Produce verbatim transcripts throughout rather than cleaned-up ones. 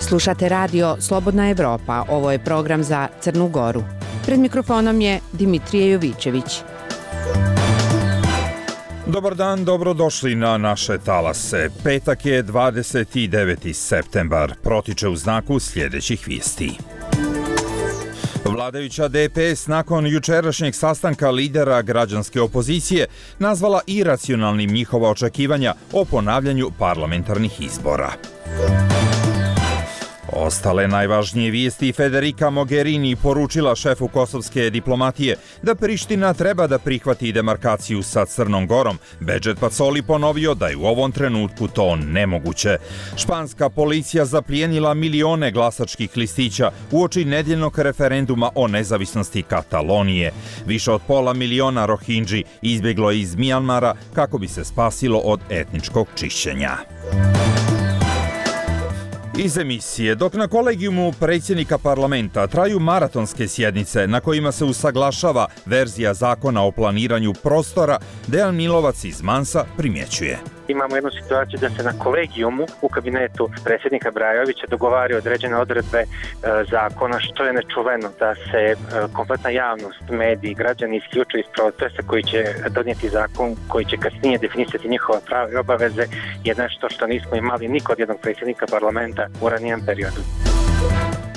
Slušate radio Slobodna Evropa, ovo je program za Crnu Goru. Pred mikrofonom je Dimitrije Jovićević. Dobar dan, dobrodošli na naše talase. Petak je dvadeset deveti septembar, protiče u znaku sljedećih vijesti. Vladajuća D P S nakon jučerašnjeg sastanka lidera građanske opozicije nazvala iracionalnim njihova očekivanja o ponavljanju parlamentarnih izbora. Ostale najvažnije vijesti: Federica Mogherini poručila šefu kosovske diplomatije da Priština treba da prihvati demarkaciju sa Crnom Gorom. Bedžet Pacoli ponovio da je u ovom trenutku to nemoguće. Španska policija zaplijenila milione glasačkih listića uoči nedjeljnog referenduma o nezavisnosti Katalonije. Više od pola miliona Rohingji izbjeglo je iz Mijanmara kako bi se spasilo od etničkog čišćenja. Iz emisije: dok na kolegijumu predsjednika parlamenta traju maratonske sjednice na kojima se usaglašava verzija zakona o planiranju prostora, Dejan Milovac iz Mansa primjećuje. Imamo jednu situaciju da se na kolegijumu u kabinetu predsjednika Brajovića dogovaraju određene odredbe e, zakona, što je nečuveno, da se e, kompletna javnost, mediji, građani isključuju iz procesa koji će donijeti zakon, koji će kasnije definisati njihova prava i obaveze, je nešto što nismo imali ni kod jednog predsjednika parlamenta u ranijem periodu.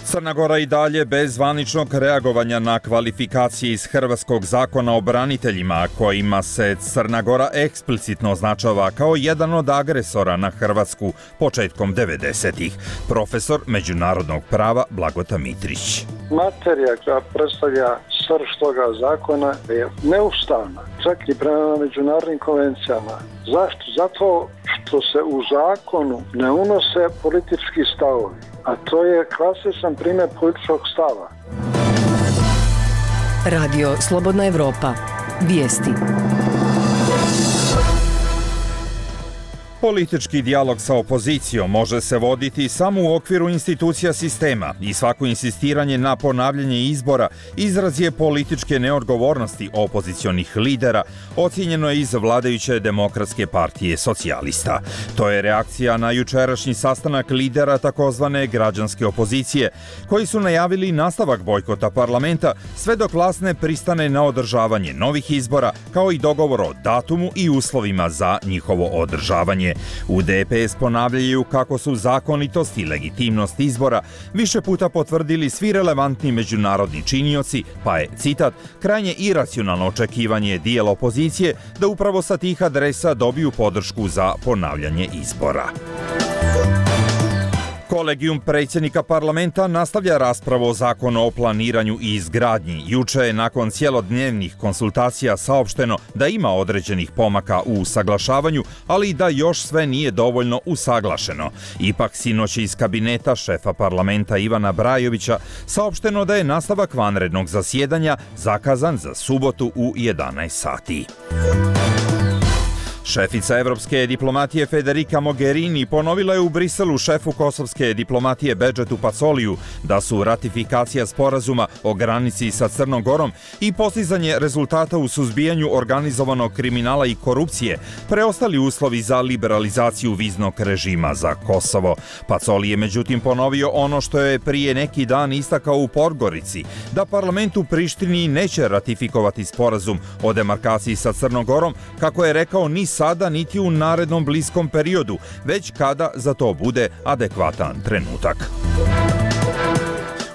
Crna Gora i dalje bez zvaničnog reagovanja na kvalifikacije iz hrvatskog zakona o braniteljima, kojima se Crna Gora eksplicitno označava kao jedan od agresora na Hrvatsku početkom devedesetih. Profesor međunarodnog prava Blagota Mitrić. Materija koja predstavlja srž toga zakona je neustavna, čak i prema međunarodnim konvencijama. Zašto? Zato što se u zakonu ne unose politički stavovi, a to je klasičan primjer političkog stava. Radio Slobodna Evropa. Vijesti. Politički dijalog sa opozicijom može se voditi samo u okviru institucija sistema i svako insistiranje na ponavljanje izbora izraz je političke neodgovornosti opozicionih lidera, ocijenjeno je iz vladajuće Demokratske partije socijalista. To je reakcija na jučerašnji sastanak lidera takozvane građanske opozicije, koji su najavili nastavak bojkota parlamenta sve dok vlast ne pristane na održavanje novih izbora, kao i dogovor o datumu i uslovima za njihovo održavanje. U D P S ponavljaju kako su zakonitost i legitimnost izbora više puta potvrdili svi relevantni međunarodni činioci, pa je, citat, krajnje iracionalno očekivanje dijela opozicije da upravo sa tih adresa dobiju podršku za ponavljanje izbora. Kolegijum predsjednika parlamenta nastavlja raspravu o zakonu o planiranju i izgradnji. Juče je nakon cjelodnevnih konsultacija saopšteno da ima određenih pomaka u usaglašavanju, ali i da još sve nije dovoljno usaglašeno. Ipak sinoć iz kabineta šefa parlamenta Ivana Brajovića saopšteno da je nastavak vanrednog zasjedanja zakazan za subotu u jedanaest sati. Šefica evropske diplomatije Federica Mogherini ponovila je u Briselu šefu kosovske diplomatije Bedžetu Pacoliju da su ratifikacija sporazuma o granici sa Crnom Gorom i postizanje rezultata u suzbijanju organizovanog kriminala i korupcije preostali uslovi za liberalizaciju viznog režima za Kosovo. Pacoli je međutim ponovio ono što je prije neki dan istakao u Podgorici, da parlament u Prištini neće ratifikovati sporazum o demarkaciji sa Crnom Gorom, kako je rekao, ni sada niti u narednom bliskom periodu, već kada za to bude adekvatan trenutak.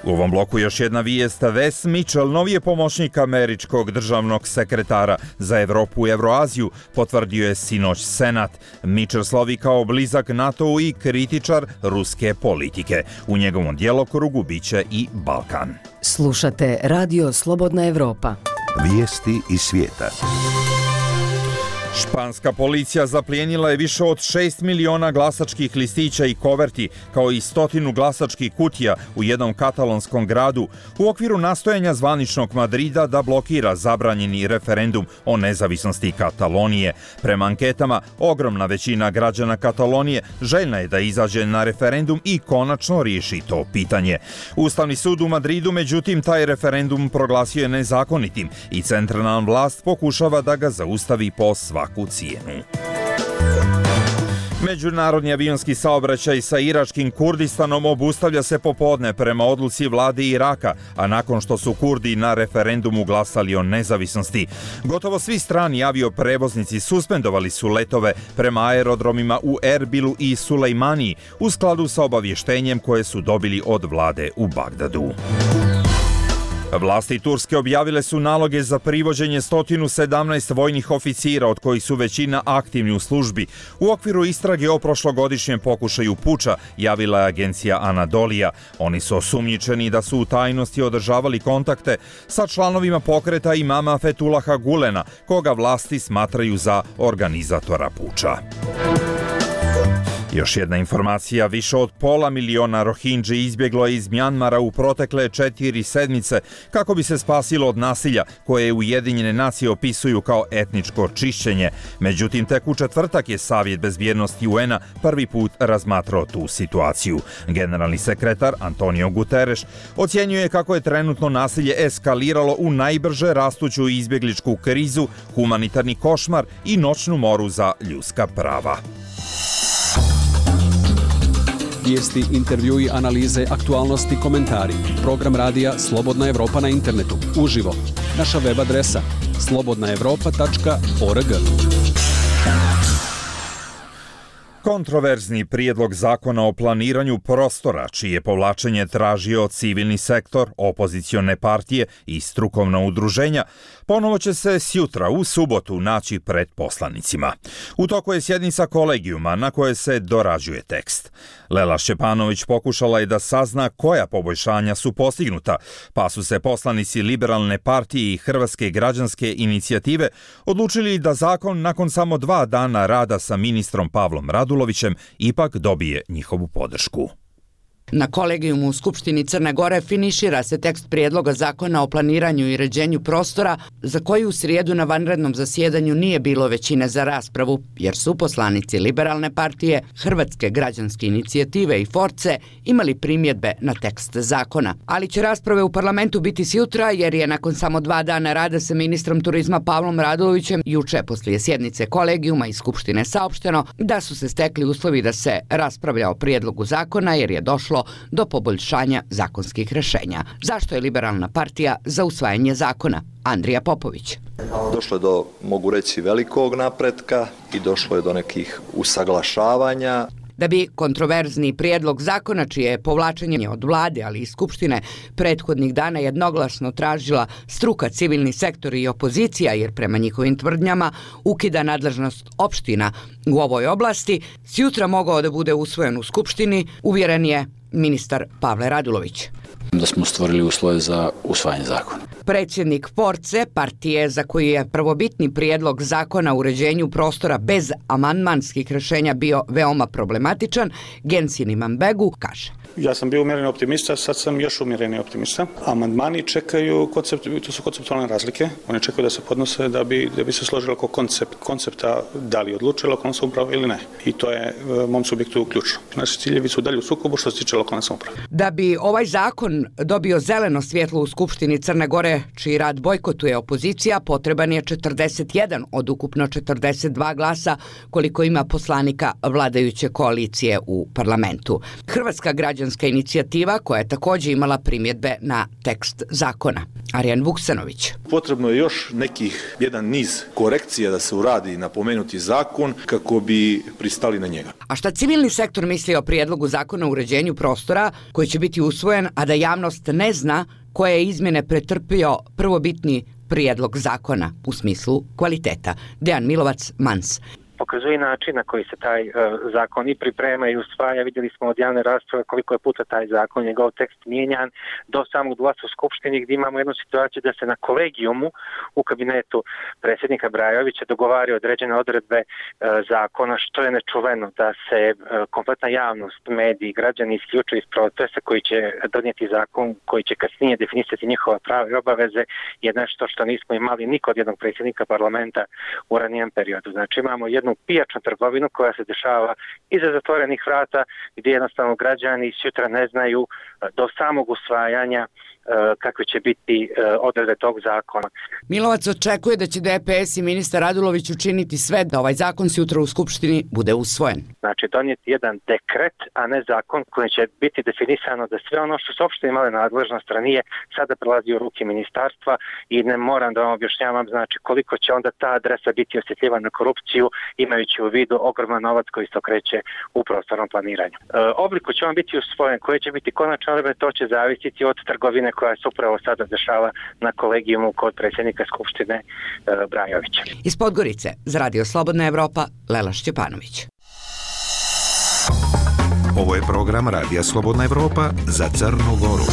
U ovom bloku još jedna vijest. Wes Mitchell, novi je pomoćnik američkog državnog sekretara za Evropu i Evroaziju, potvrdio je sinoć Senat. Mitchell slovi kao blizak NATO-u i kritičar ruske politike. U njegovom djelokrugu biće i Balkan. Slušate Radio Slobodna Evropa. Vijesti iz svijeta. Španska policija zaplijenila je više od šest miliona glasačkih listića i koverti, kao i stotinu glasačkih kutija u jednom katalonskom gradu u okviru nastojanja zvaničnog Madrida da blokira zabranjeni referendum o nezavisnosti Katalonije. Prema anketama, ogromna većina građana Katalonije željna je da izađe na referendum i konačno riješi to pitanje. Ustavni sud u Madridu, međutim, taj referendum proglasio je nezakonitim i centralna vlast pokušava da ga zaustavi po svaku cijenu. Međunarodni avionski saobraćaj sa iračkim Kurdistanom obustavlja se popodne prema odluci vlade Iraka, a nakon što su Kurdi na referendumu glasali o nezavisnosti. Gotovo svi strani avioprevoznici suspendovali su letove prema aerodromima u Erbilu i Sulejmaniji u skladu sa obavještenjem koje su dobili od vlade u Bagdadu. Vlasti Turske objavile su naloge za privođenje sto sedamnaest vojnih oficira, od kojih su većina aktivni u službi. U okviru istrage o prošlogodišnjem pokušaju puča, javila je agencija Anadolija. Oni su osumnjičeni da su u tajnosti održavali kontakte sa članovima pokreta imama Fetulaha Gulena, koga vlasti smatraju za organizatora puča. Još jedna informacija, više od pola miliona Rohingji izbjeglo je iz Mjanmara u protekle četiri sedmice kako bi se spasilo od nasilja koje Ujedinjene nacije opisuju kao etničko čišćenje. Međutim, tek u četvrtak je Savjet bezbjednosti U N-a prvi put razmatrao tu situaciju. Generalni sekretar Antonio Guterres ocjenjuje kako je trenutno nasilje eskaliralo u najbrže rastuću izbjegličku krizu, humanitarni košmar i noćnu moru za ljudska prava. Vijesti, intervjui, analize, aktualnosti, komentari. Program radija Slobodna Evropa na internetu. Uživo. Naša web adresa slobodna evropa tačka org. Kontroverzni prijedlog zakona o planiranju prostora, čije povlačenje tražio civilni sektor, opozicione partije i strukovna udruženja, ponovo će se sjutra u subotu naći pred poslanicima. U toku je sjednica kolegijuma na koje se dorađuje tekst. Lela Šćepanović pokušala je da sazna koja poboljšanja su postignuta, pa su se poslanici Liberalne partije i Hrvatske građanske inicijative odlučili da zakon nakon samo dva dana rada sa ministrom Pavlom Radulovićem ipak dobije njihovu podršku. Na kolegijumu u Skupštini Crne Gore finišira se tekst prijedloga zakona o planiranju i uređenju prostora, za koji u srijedu na vanrednom zasjedanju nije bilo većine za raspravu, jer su poslanici Liberalne partije, Hrvatske građanske inicijative i Force imali primjedbe na tekst zakona. Ali će rasprave u parlamentu biti sjutra, jer je nakon samo dva dana rada sa ministrom turizma Pavlom Radulovićem juče poslije sjednice kolegijuma i Skupštine saopšteno da su se stekli uslovi da se raspravlja o prijedlogu zakona, jer je došlo do poboljšanja zakonskih rješenja. Zašto je Liberalna partija za usvajanje zakona? Andrija Popović. Došlo je do, mogu reći, velikog napretka i došlo je do nekih usaglašavanja. Da bi kontroverzni prijedlog zakona, čije je povlačenje od vlade, ali i Skupštine, prethodnih dana jednoglasno tražila struka, civilni sektor i opozicija, jer prema njihovim tvrdnjama ukida nadležnost opština u ovoj oblasti, sjutra mogao da bude usvojen u Skupštini, uvjeren je ministar Pavle Radulović. Da smo stvorili uslove za usvajanje zakona. Predsjednik Force, partije za koji je prvobitni prijedlog zakona o uređenju prostora bez amandmanskih rješenja bio veoma problematičan, Gensin Imanbegu kaže: Ja sam bio umjereni optimista, sad sam još umjereni optimista. Amandmani čekaju, koncept, to su konceptualne razlike, oni čekaju da se podnose da bi, da bi se složilo oko koncept, koncepta da li odlučuje lokalna samouprava ili ne. I to je mom subjektu ključno. Naši ciljevi su dalje u sukobu što se tiče lokalne samouprave. Da bi ovaj zakon dobio zeleno svjetlo u Skupštini Crne Gore, čiji rad bojkotuje opozicija, potreban je četrdeset jedan od ukupno četrdeset dva glasa, koliko ima poslanika vladajuće koalicije u parlamentu. Hrvatska građanska inicijativa, koja je također imala primjedbe na tekst zakona. Arjan Vuksanović. Potrebno je još nekih jedan niz korekcija da se uradi na pomenuti zakon kako bi pristali na njega. A šta civilni sektor misli o prijedlogu zakona o uređenju prostora koji će biti usvojen, a da javnost ne zna koje je izmjene pretrpio prvobitni prijedlog zakona u smislu kvaliteta? Dejan Milovac, Mans. pokazuje način na koji se taj uh, zakon i priprema i usvaja. Vidjeli smo od javne rasprave koliko je puta taj zakon, njegov tekst mijenjan do samog glasa u Skupštini, gdje imamo jednu situaciju da se na kolegijumu u kabinetu predsjednika Brajovića dogovaraju određene odredbe uh, zakona, što je nečuveno, da se uh, kompletna javnost, mediji, građani isključuju iz procesa koji će donijeti zakon, koji će kasnije definisati njihova prava i obaveze, je nešto što nismo imali ni kod jednog predsjednika parlamenta u ranijem periodu. Znači imamo jednu pijačnu trgovinu koja se dešava iza zatvorenih vrata, gdje jednostavno građani sutra ne znaju do samog usvajanja kakve će biti odredbe tog zakona. Milovac očekuje da će D P S i ministar Radulović učiniti sve da ovaj zakon sutra u Skupštini bude usvojen. Znači donijeti jedan dekret, a ne zakon koji će biti definisano da sve ono što su opšte imale nadležnost ranije sada prelazi u ruke ministarstva i ne moram da vam objašnjavam znači koliko će onda ta adresa biti osjetljiva na korupciju imajući u vidu ogroman novac koji se okreće u prostornom planiranju. E, obliku će on biti usvojen, koje će biti konačne odredbe, to će zavisiti od trgovine koja se upravo sada dešava na kolegijumu kod predsjednika Skupštine e, Brajovića. Iz Podgorice, za Radio Slobodna Evropa, Lela Šćepanović. Ovo je program Radija Slobodna Evropa za Crnu Goru.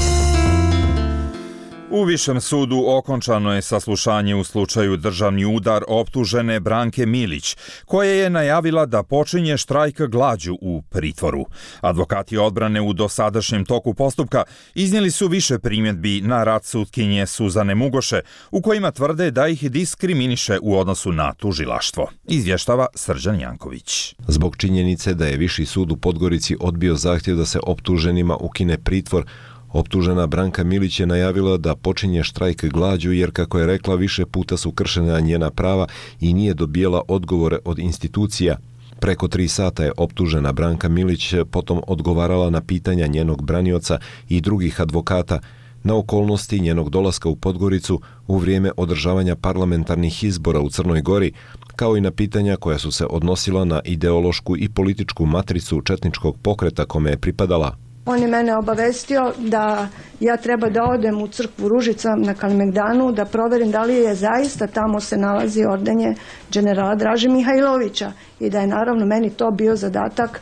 U Višem sudu okončano je saslušanje u slučaju državni udar optužene Branke Milić, koja je najavila da počinje štrajk glađu u pritvoru. Advokati odbrane u dosadašnjem toku postupka iznijeli su više primjedbi na rad sutkinje Suzane Mugoše, u kojima tvrde da ih diskriminiše u odnosu na tužilaštvo. Izvještava Srđan Janković. Zbog činjenice da je Viši sud u Podgorici odbio zahtjev da se optuženima ukine pritvor, optužena Branka Milić je najavila da počinje štrajk glađu jer, kako je rekla, više puta su kršena njena prava i nije dobijela odgovore od institucija. Preko tri sata je optužena Branka Milić potom odgovarala na pitanja njenog branioca i drugih advokata na okolnosti njenog dolaska u Podgoricu u vrijeme održavanja parlamentarnih izbora u Crnoj Gori, kao i na pitanja koja su se odnosila na ideološku i političku matricu četničkog pokreta kome je pripadala. On je mene obavestio da ja treba da odem u crkvu Ružica na Kalemegdanu, da proverim da li je zaista tamo se nalazi ordenje generala Draže Mihajlovića i da je naravno meni to bio zadatak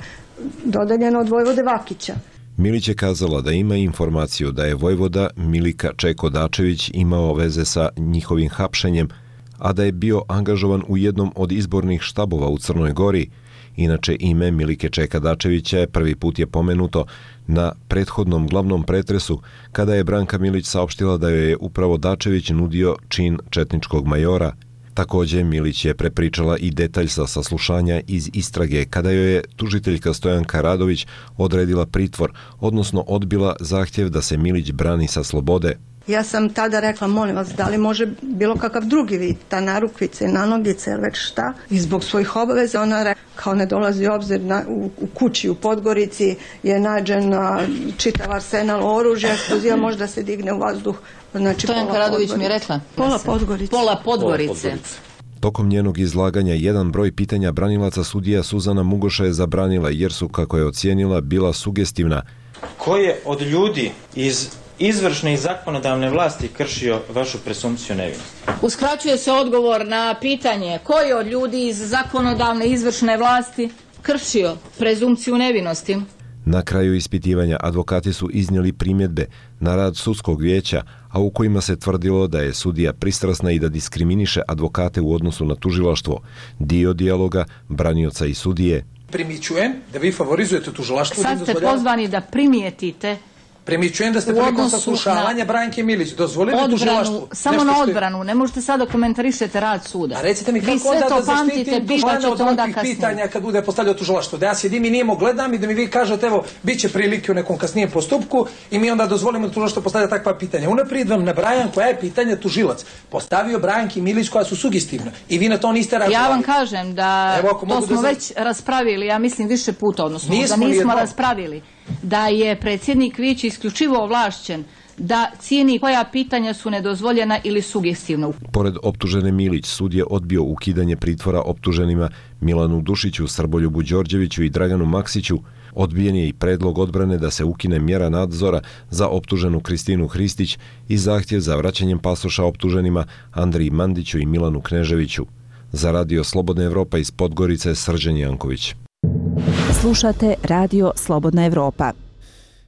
dodeljeno od vojvode Vakića. Milić je kazala da ima informaciju da je vojvoda Milika Čeko Dačević imao veze sa njihovim hapšenjem, a da je bio angažovan u jednom od izbornih štabova u Crnoj Gori. Inače, ime Milike Čeka Dačevića je prvi put je pomenuto na prethodnom glavnom pretresu, kada je Branka Milić saopštila da joj je upravo Dačević nudio čin četničkog majora. Također, Milić je prepričala i detalj sa saslušanja iz istrage, kada joj je tužiteljka Stojanka Radović odredila pritvor, odnosno odbila zahtjev da se Milić brani sa slobode. Ja sam tada rekla, molim vas, da li može bilo kakav drugi vid, ta narukvice, nanogice ili već šta. I zbog svojih obaveza ona rekla, kao ne dolazi u obzir na, u, u kući u Podgorici je nađen čitav arsenal oružja, eksploziva možda se digne u vazduh. Znači, Stojanka Radović mi je rekla. Pola Podgorice. Pola Podgorice. Tokom njenog izlaganja jedan broj pitanja branilaca sudija Suzana Mugoša je zabranila jer su, kako je ocijenila, bila sugestivna. Ko je od ljudi iz izvršne i zakonodavne vlasti kršio vašu presumpciju nevinosti? Uskraćuje se odgovor na pitanje ko je od ljudi iz zakonodavne i izvršne vlasti kršio prezumpciju nevinosti. Na kraju ispitivanja advokati su iznijeli primjedbe na rad sudskog vijeća, a u kojima se tvrdilo da je sudija pristrasna i da diskriminiše advokate u odnosu na tužilaštvo. Dio dijaloga branioca i sudije. Primičujem da vi favorizujete tužilaštvo. Sad ste pozvani da primijetite Primičujem da ste prilikom saslušavanja Branke Milić dozvolili tužilaštvu. Samo na odbranu, ne možete sada komentarišete rad suda. A recite mi kako onda da zaštitim tužanja od ovakvih pitanja kad bude postavljao tužilaštvo? Da ja sjedim i nijemo gledam i da mi vi kažete evo, bit će prilike u nekom kasnijem postupku i mi onda dozvolimo da tužilaštvo postavlja takva pitanja. Unaprijed vam nabrajam koja je pitanje tužilac postavio Branki Milić koja su sugestivna i vi na to niste reagovali. Ja vam kažem da evo, to smo da već raspravili, ja mislim više puta, odnosno nismo da nismo raspravili. Da je predsjednik vijeća isključivo ovlašćen da cijeni koja pitanja su nedozvoljena ili sugestivna. Pored optužene Milić, sud je odbio ukidanje pritvora optuženima Milanu Dušiću, Srboljubu Đorđeviću i Draganu Maksiću. Odbijen je i predlog odbrane da se ukine mjera nadzora za optuženu Kristinu Hristić i zahtjev za vraćanjem pasoša optuženima Andriji Mandiću i Milanu Kneževiću. Za radio Slobodna Evropa iz Podgorice, Srđan Janković. Slušate radio Slobodna Evropa.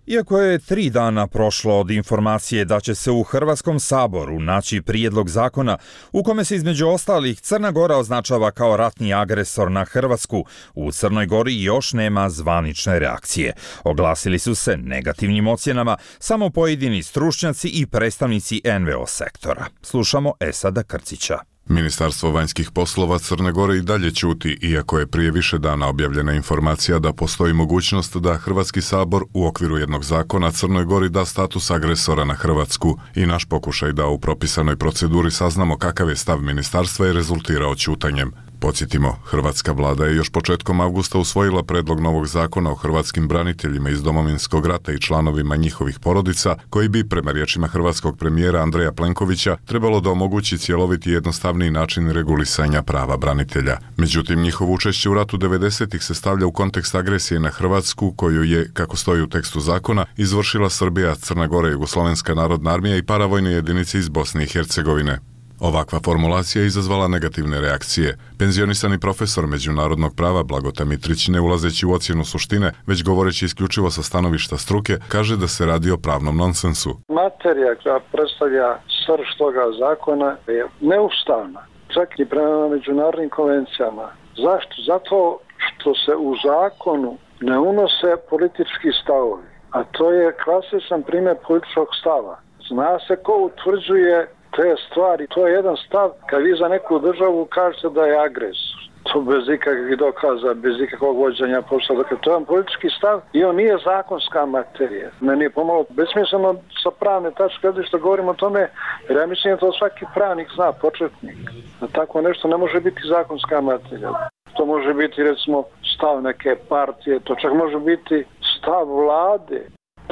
Iako je tri dana prošlo od informacije da će se u Hrvatskom saboru naći prijedlog zakona u kome se između ostalih Crna Gora označava kao ratni agresor na Hrvatsku, u Crnoj Gori još nema zvanične reakcije. Oglasili su se negativnim ocjenama samo pojedini stručnjaci i predstavnici en ve o sektora. Slušamo Esada Krcića. Ministarstvo vanjskih poslova Crne Gore i dalje ćuti, iako je prije više dana objavljena informacija da postoji mogućnost da Hrvatski sabor u okviru jednog zakona Crnoj Gori da status agresora na Hrvatsku i naš pokušaj da u propisanoj proceduri saznamo kakav je stav ministarstva je rezultirao ćutanjem. Podsjetimo, hrvatska vlada je još početkom avgusta usvojila predlog novog zakona o hrvatskim braniteljima iz Domovinskog rata i članovima njihovih porodica, koji bi, prema riječima hrvatskog premijera Andreja Plenkovića, trebalo da omogući cjeloviti i jednostavniji način regulisanja prava branitelja. Međutim, njihovo učešće u ratu devedesetih se stavlja u kontekst agresije na Hrvatsku, koju je, kako stoji u tekstu zakona, izvršila Srbija, Crna Gora, Jugoslovenska narodna armija i paravojne jedinice iz Bosne i Hercegovine. Ovakva formulacija je izazvala negativne reakcije. Penzionisani profesor međunarodnog prava Blagota Mitrić, ne ulazeći u ocjenu suštine, već govoreći isključivo sa stanovišta struke, kaže da se radi o pravnom nonsensu. Materija koja predstavlja srž toga zakona je neustavna, čak i prema međunarodnim konvencijama. Zašto? Zato što se u zakonu ne unose politički stavovi, a to je klasičan primjer političkog stava. Zna se ko utvrđuje te stvari, to je jedan stav kad vi za neku državu kažete da je agresor. To bez ikakvih dokaza, bez ikakvog vođenja posla. Dakle, to je jedan politički stav i on nije zakonska materija. Meni je pomalo besmisleno sa pravne tačke što govorimo o tome, jer ja mislim da to svaki pravnik zna, početnik. Da tako nešto ne može biti zakonska materija. To može biti, recimo, stav neke partije, to čak može biti stav vlade.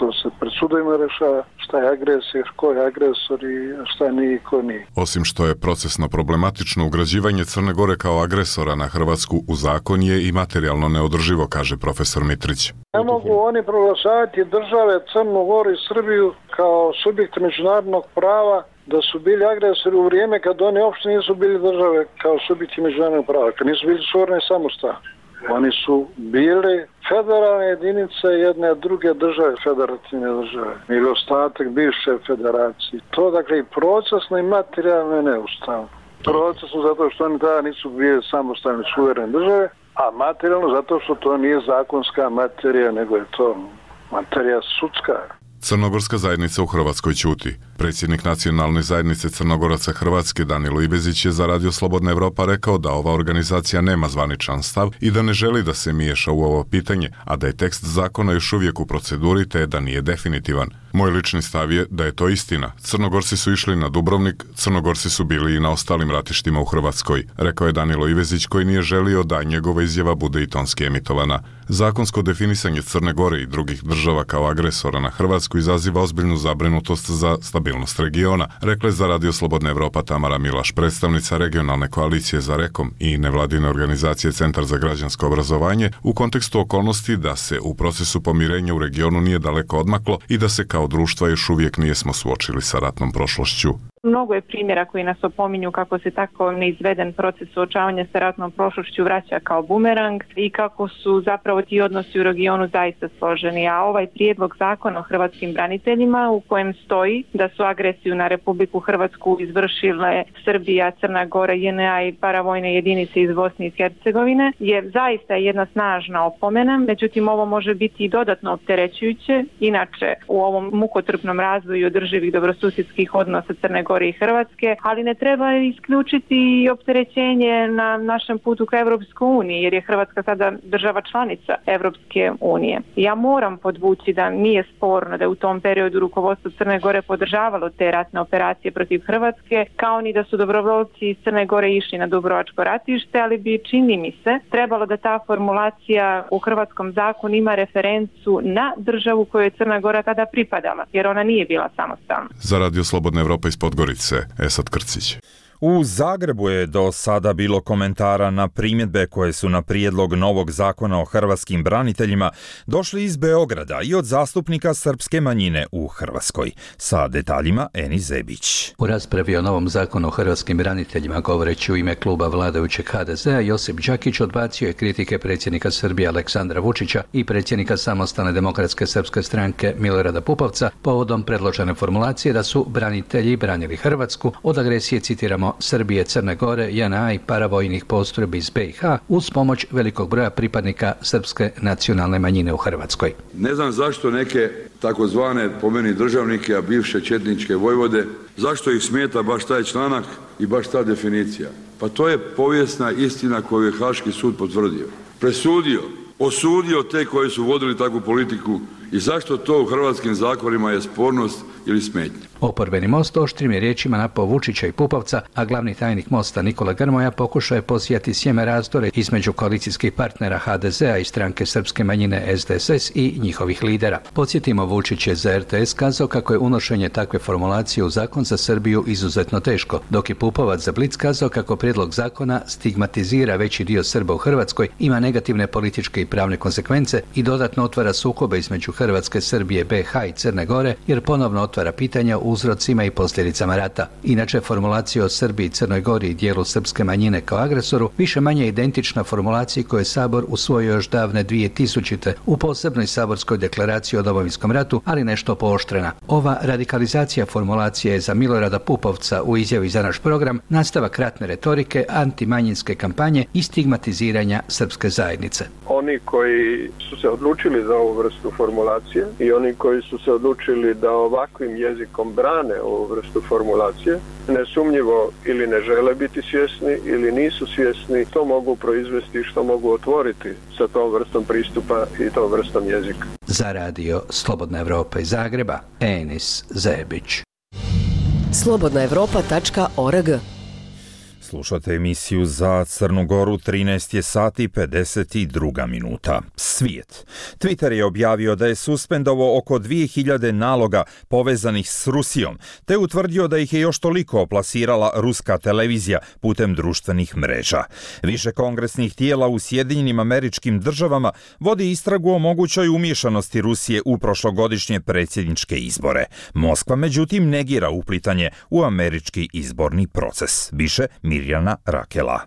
To se pred sudovima rešava šta je agresija, ko je agresor i šta nije i ko nije. Osim što je procesno problematično, ugrađivanje Crne Gore kao agresora na Hrvatsku u zakon je i materijalno neodrživo, kaže profesor Mitrić. Ne mogu oni proglašavati države Crnu Goru i Srbiju kao subjekte međunarodnog prava da su bili agresori u vrijeme kad oni uopšte nisu bili države kao subjekti međunarodnog prava, kad nisu bili suverene i samostalni. Oni su bili federalne jedinice jedne druge države, federativne države, ili ostatak bivše federacije. To, dakle, i procesno i materijalno je neustavno. Procesno zato što oni tada nisu bili samostalne suverene države, a materijalno zato što to nije zakonska materija, nego je to materija sudska. Crnogorska zajednica u Hrvatskoj ćuti. Predsjednik nacionalne zajednice Crnogoraca Hrvatske Danilo Ivezić je za radio Slobodna Evropa rekao da ova organizacija nema zvaničan stav i da ne želi da se miješa u ovo pitanje, a da je tekst zakona još uvijek u proceduri te da nije definitivan. Moj lični stav je da je to istina. Crnogorci su išli na Dubrovnik, Crnogorci su bili i na ostalim ratištima u Hrvatskoj, rekao je Danilo Ivezić koji nije želio da njegova izjava bude i tonski emitovana. Zakonsko definisanje Crne Gore i drugih država kao agresora na Hrvatsku izaziva ozbiljnu zabrinutost za stabilnost regiona, rekla je za radio Slobodna Evropa Tamara Milaš, predstavnica regionalne koalicije za Rekom i nevladine organizacije Centar za građansko obrazovanje, u kontekstu okolnosti da se u procesu pomirenja u regionu nije daleko odmaklo i da se kao društva još uvijek nijesmo suočili sa ratnom prošlošću. Mnogo je primjera koji nas opominju kako se tako neizveden proces suočavanja sa ratnom prošlošću vraća kao bumerang i kako su zapravo ti odnosi u regionu zaista složeni. A ovaj prijedlog zakona o hrvatskim braniteljima u kojem stoji da su agresiju na Republiku Hrvatsku izvršile Srbija, Crna Gora, J N A i paravojne jedinice iz Bosne i Hercegovine je zaista jedna snažna opomena. Međutim, ovo može biti i dodatno opterećujuće. Inače, u ovom mukotrpnom razvoju održivih dobrosusjedskih odnosa Crne Gore i Hrvatske, ali ne treba isključiti i opterećenje na našem putu ka Europskoj uniji, jer je Hrvatska sada država članica Europske unije. Ja moram podvući da nije sporno da je u tom periodu rukovodstvo Crne Gore podržavalo te ratne operacije protiv Hrvatske, kao ni da su dobrovoljci iz Crne Gore išli na Dubrovačko ratište, ali bi, čini mi se, trebalo da ta formulacija u hrvatskom zakonu ima referencu na državu kojoj je Crna Gora tada pripadala, jer ona nije bila samostalna. Za radio Slobodna Evropa iz Podgorice, Esad Krcić. U Zagrebu je do sada bilo komentara na primjedbe koje su na prijedlog novog zakona o hrvatskim braniteljima došli iz Beograda i od zastupnika srpske manjine u Hrvatskoj. Sa detaljima Eni Zebić. U raspravi o novom zakonu o hrvatskim braniteljima govoreći u ime kluba vladajućeg ha de zea, Josip Đakić odbacio je kritike predsjednika Srbije Aleksandra Vučića i predsjednika Samostalne demokratske srpske stranke Milorada Pupovca povodom predložene formulacije da su branitelji branili Hrvatsku od agresije, citiramo, Srbije, Crne Gore, je en a i paravojnih postrojbi iz be i ha uz pomoć velikog broja pripadnika srpske nacionalne manjine u Hrvatskoj. Ne znam zašto neke takozvane po meni državnike, a bivše četničke vojvode, zašto ih smeta baš taj članak i baš ta definicija. Pa to je povijesna istina koju je Haški sud potvrdio. Presudio, osudio te koji su vodili takvu politiku i zašto to u hrvatskim zakonima je spornost ili smetnja. Oporbeni Most oštrim je riječima napao Vučića i Pupovca, a glavni tajnik Mosta Nikola Grmoja pokušao je posijati sjeme razdore između koalicijskih partnera ha de zea i stranke srpske manjine es de es es i njihovih lidera. Podsjetimo, Vučić je za er te es kazao kako je unošenje takve formulacije u zakon za Srbiju izuzetno teško, dok je Pupovac za Blic kazao kako prijedlog zakona stigmatizira veći dio Srba u Hrvatskoj, ima negativne političke i pravne konsekvence i dodatno otvara sukobe između Hrvatske, Srbije, be ha i Crne Gore, jer ponovno otvara pitanja o uzrocima i posljedicama rata. Inače, formulacija o Srbiji i Crnoj Gori i dijelu srpske manjine kao agresoru više manje identična formulaciji koju je Sabor usvojio još davne dvije tisućite u posebnoj saborskoj deklaraciji o Domovinskom ratu, ali nešto pooštrena. Ova radikalizacija formulacije je za Milorada Pupovca u izjavi za naš program nastavak ratne retorike, antimanjinske kampanje i stigmatiziranja srpske zajednice. Oni koji su se odlučili za ovu vrstu formulacije i oni koji su se odlučili da ovakvim jezikom brane ovu vrstu formulacije, nesumnjivo ili ne žele biti svjesni ili nisu svjesni što mogu proizvesti, što mogu otvoriti sa tom vrstom pristupa i tom vrstom jezika. Za radio Slobodna Evropa iz Zagreba, Enis Zebić. slobodna evropa tačka org. Slušate emisiju za Crnu Goru, trinaest je sati pedeset dva minuta. Svijet. Twitter je objavio da je suspendovao oko dvije hiljade naloga povezanih s Rusijom, te utvrdio da ih je još toliko plasirala ruska televizija putem društvenih mreža. Više kongresnih tijela u Sjedinjenim Američkim Državama vodi istragu o mogućoj umiješanosti Rusije u prošlogodišnje predsjedničke izbore. Moskva, međutim, negira uplitanje u američki izborni proces. Više Mirjana Rakela.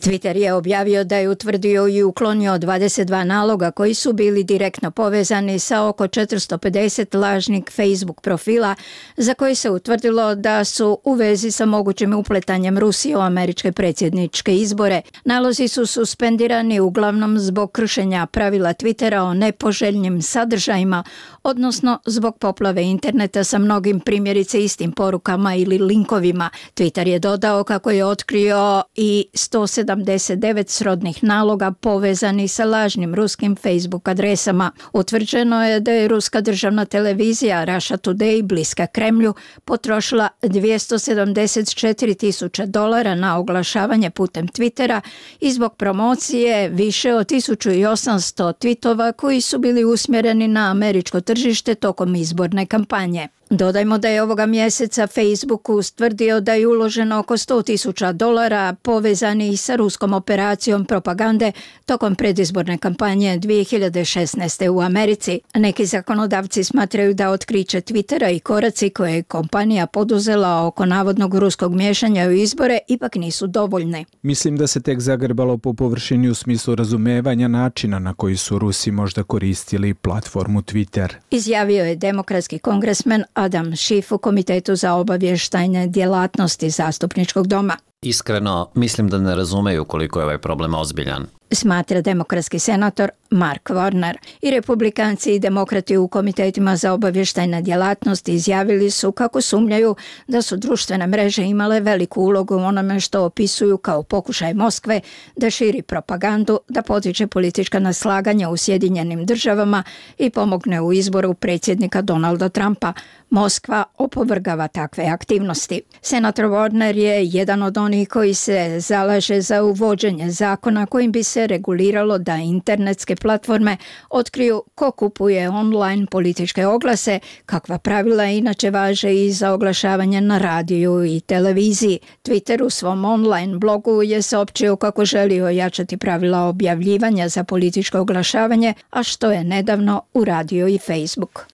Twitter je objavio da je utvrdio i uklonio dvadeset dva naloga koji su bili direktno povezani sa oko četiristo pedeset lažnih Facebook profila za koje se utvrdilo da su u vezi sa mogućim upletanjem Rusije u američke predsjedničke izbore. Nalozi su suspendirani uglavnom zbog kršenja pravila Twittera o nepoželjnim sadržajima, odnosno zbog poplave interneta sa mnogim primjerice istim porukama ili linkovima. Twitter je dodao kako je otkrio i sto sedamdeset devet srodnih naloga povezani sa lažnim ruskim Facebook adresama. Utvrđeno je da je ruska državna televizija Russia Today, bliska Kremlju, potrošila dvjesto sedamdeset četiri tisuće dolara na oglašavanje putem Twittera i zbog promocije više od tisuću osamsto tweetova koji su bili usmjereni na američko tržište tokom izborne kampanje. Dodajmo da je ovoga mjeseca Facebook ustvrdio da je uloženo oko sto tisuća dolara povezanih sa ruskom operacijom propagande tokom predizborne kampanje dvije hiljade šesnaeste. u Americi. Neki zakonodavci smatraju da otkriće Twittera i koraci koje je kompanija poduzela oko navodnog ruskog miješanja u izbore ipak nisu dovoljne. Mislim da se tek zagrebalo po površini u smislu razumevanja načina na koji su Rusi možda koristili platformu Twitter. Izjavio je demokratski kongresmen Adam Schiff u Komitetu za obavještajne djelatnosti Zastupničkog doma. Iskreno, mislim da ne razumeju koliko je ovaj problem ozbiljan. Smatra demokratski senator Mark Warner. I republikanci i demokrati u komitetima za obavještajne djelatnosti izjavili su kako sumnjaju da su društvene mreže imale veliku ulogu u onome što opisuju kao pokušaj Moskve da širi propagandu, da potiče politička neslaganja u Sjedinjenim Državama i pomogne u izboru predsjednika Donalda Trumpa. Moskva opovrgava takve aktivnosti. Senator Warner je jedan od onih koji se zalaže za uvođenje zakona kojim bi se se reguliralo da internetske platforme otkriju ko kupuje online političke oglase, kakva pravila inače važe i za oglašavanje na radiju i televiziji. Twitter u svom online blogu je saopćio kako želi ojačati pravila objavljivanja za političko oglašavanje, a što je nedavno uradio i Facebook.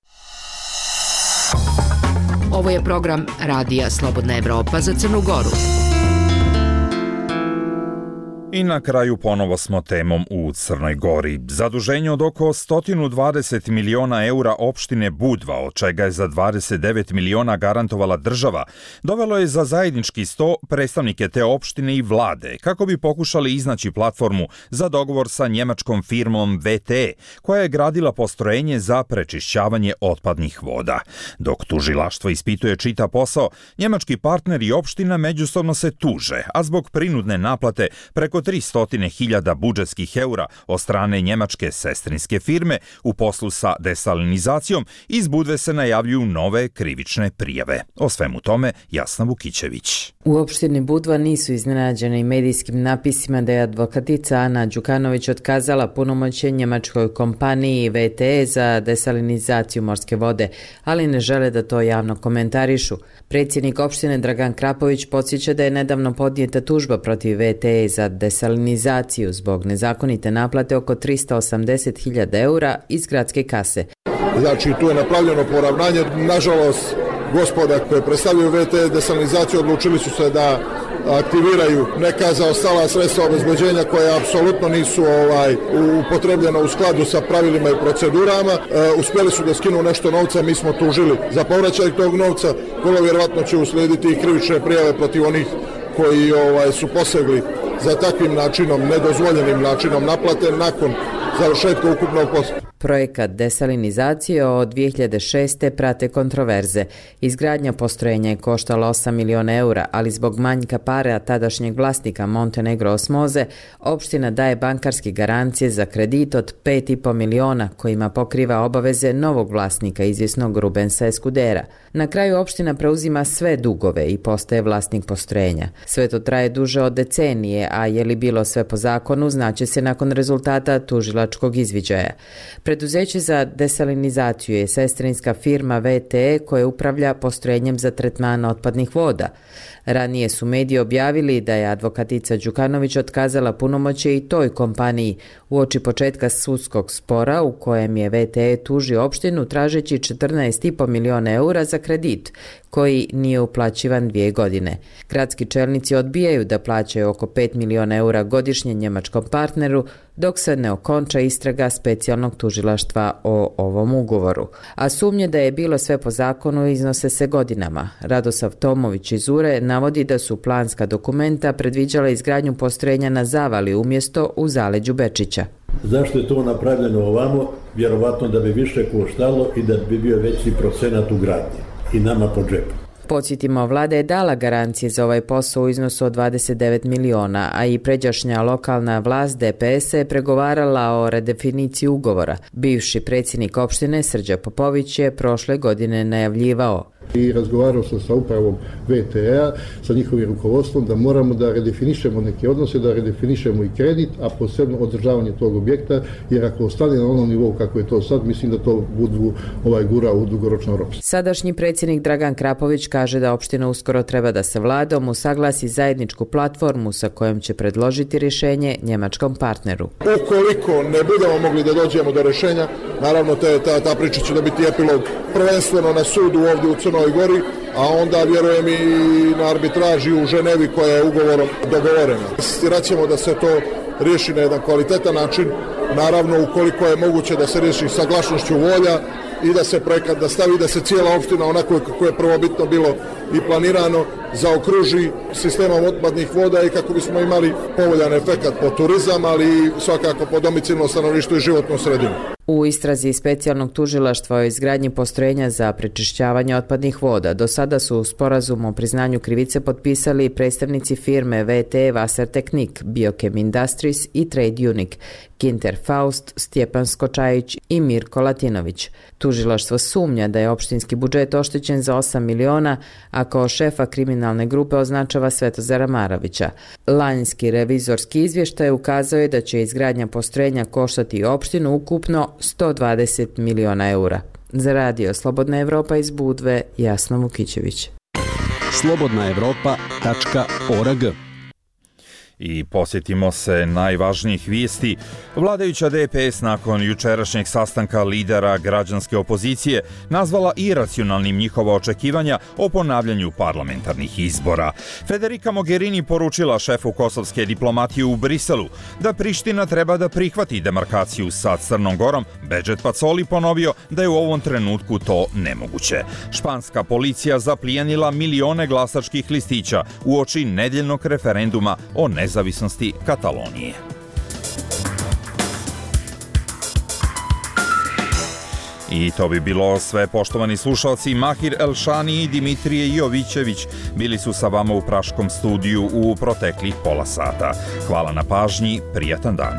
Ovo je program Radija Slobodna Evropa za Crnu Goru. I na kraju ponovo smo temom u Crnoj Gori. Zaduženje od oko sto dvadeset miliona eura opštine Budva, od čega je za dvadeset devet miliona garantovala država, dovelo je za zajednički sto predstavnike te opštine i vlade, kako bi pokušali iznaći platformu za dogovor sa njemačkom firmom V T E, koja je gradila postrojenje za prečišćavanje otpadnih voda. Dok tužilaštvo ispituje čita posao, njemački partner i opština međusobno se tuže, a zbog prinudne naplate preko tristo hiljada budžetskih eura od strane njemačke sestrinske firme u poslu sa desalinizacijom, iz Budve se najavljuju nove krivične prijave. O svemu tome Jasna Vukićević. U opštini Budva nisu iznenađeni medijskim napisima da je advokatica Ana Đukanović otkazala punomoćje njemačkoj kompaniji V T E za desalinizaciju morske vode, ali ne žele da to javno komentarišu. Predsjednik opštine Dragan Krapović podsjeća da je nedavno podnijeta tužba protiv V T E za desalinizaciju zbog nezakonite naplate oko tristo osamdeset hiljada eura iz gradske kase. Znači, tu je napravljeno poravnanje. Nažalost, gospoda koje predstavljaju V T E desalinizaciju odlučili su se da aktiviraju neka zaostala sredstva obezbeđenja koja apsolutno nisu ovaj upotrebljena u skladu sa pravilima i procedurama. E, uspjeli su da skinu nešto novca, mi smo tužili za povraćaj tog novca. Vrlo vjerovatno će uslijediti i krivične prijave protiv onih koji ovaj su posegli za takvim načinom, nedozvoljenim načinom naplate nakon završetka ukupnog posla. Projekat desalinizacije od dvije hiljade šeste. prate kontroverze. Izgradnja postrojenja je koštala osam miliona eura, ali zbog manjka para tadašnjeg vlasnika Montenegro Osmoze, opština daje bankarske garancije za kredit od pet i po miliona kojima pokriva obaveze novog vlasnika, izvjesnog Rubensa Eskudera. Na kraju opština preuzima sve dugove i postaje vlasnik postrojenja. Sve to traje duže od decenije, a je li bilo sve po zakonu, znaće se nakon rezultata tužilačkog izviđaja. Preduzeće za desalinizaciju je sestrinska firma V T E koja upravlja postrojenjem za tretman otpadnih voda. Ranije su mediji objavili da je advokatica Đukanović otkazala punomoćje i toj kompaniji uoči početka sudskog spora u kojem je V T E tužio opštinu tražeći četrnaest i po miliona eura za kredit koji nije uplaćivan dvije godine. Gradski čelnici odbijaju da plaćaju oko pet miliona eura godišnje njemačkom partneru dok se ne okonča istraga specijalnog tužilaštva o ovom ugovoru. A sumnje da je bilo sve po zakonu iznose se godinama. Radosav Tomović iz Ure navodi da su planska dokumenta predviđala izgradnju postrojenja na Zavali umjesto u zaleđu Bečića. Zašto je to napravljeno ovamo? Vjerovatno da bi više koštalo i da bi bio veći procenat u gradnji i nama po džepu. Podsjetimo, vlada je dala garancije za ovaj posao u iznosu od dvadeset devet miliona, a i pređašnja lokalna vlast D P S je pregovarala o redefiniciji ugovora. Bivši predsjednik opštine Srđa Popović je prošle godine najavljivao. I razgovarao sam sa upravom V T E-a, sa njihovim rukovodstvom, da moramo da redefinišemo neke odnose, da redefinišemo i kredit, a posebno održavanje tog objekta, jer ako ostane na onom nivou kako je to sad, mislim da to budu ovaj gura u dugoročno ropstvo. Sadašnji predsjednik Dragan Krapović kaže da opština uskoro treba da se vladom usaglasi zajedničku platformu sa kojom će predložiti rješenje njemačkom partneru. Ukoliko ne budemo mogli da dođemo do rješenja, naravno te, ta, ta priča će da biti epilog prvenstveno na sudu ovdje u Crnoj Gori, a onda vjerujem i na arbitraži u Ženevi koja je ugovorom dogovorena. Insistirat ćemo da se to riješi na jedan kvalitetan način, naravno ukoliko je moguće da se riješi saglasnošću volja i da se projekat da stavi, da se cijela opština onako kako je prvobitno bilo i planirano zaokruži sistemom otpadnih voda i kako bismo imali povoljan efekat po turizam, ali i svakako po domicilno stanovništvo i životnu sredinu. U istrazi specijalnog tužilaštva o izgradnji postrojenja za prečišćavanje otpadnih voda do sada su u sporazumu o priznanju krivice potpisali predstavnici firme V T E Wassertechnik, Biochem Industries i Trade Unique, Ginter Faust, Stjepan Skočajić i Mirko Latinović. Tužilaštvo sumnja da je opštinski budžet oštećen za osam miliona, a kao šefa kriminalne grupe označava Svetozara Maravića. Lanjski revizorski izvještaj ukazao je da će izgradnja postrojenja koštati opštinu ukupno sto dvadeset miliona eura. Za radio Slobodna Evropa iz Budve, Jasna Vukićević. slobodna evropa tačka org. I posjetimo se najvažnijih vijesti. Vladajuća D P S nakon jučerašnjeg sastanka lidera građanske opozicije nazvala iracionalnim njihova očekivanja o ponavljanju parlamentarnih izbora. Federica Mogherini poručila šefu kosovske diplomatije u Briselu da Priština treba da prihvati demarkaciju sa Crnom Gorom. Bedžet Pacoli ponovio da je u ovom trenutku to nemoguće. Španska policija zaplijenila milione glasačkih listića uoči nedeljnog referenduma o nezavisnosti nezavisnosti Katalonije. I to bi bilo sve, poštovani slušalci. Mahir Elšani i Dimitrije Jovićević bili su sa vama u Praškom studiju u proteklih pola sata. Hvala na pažnji, prijatan dan.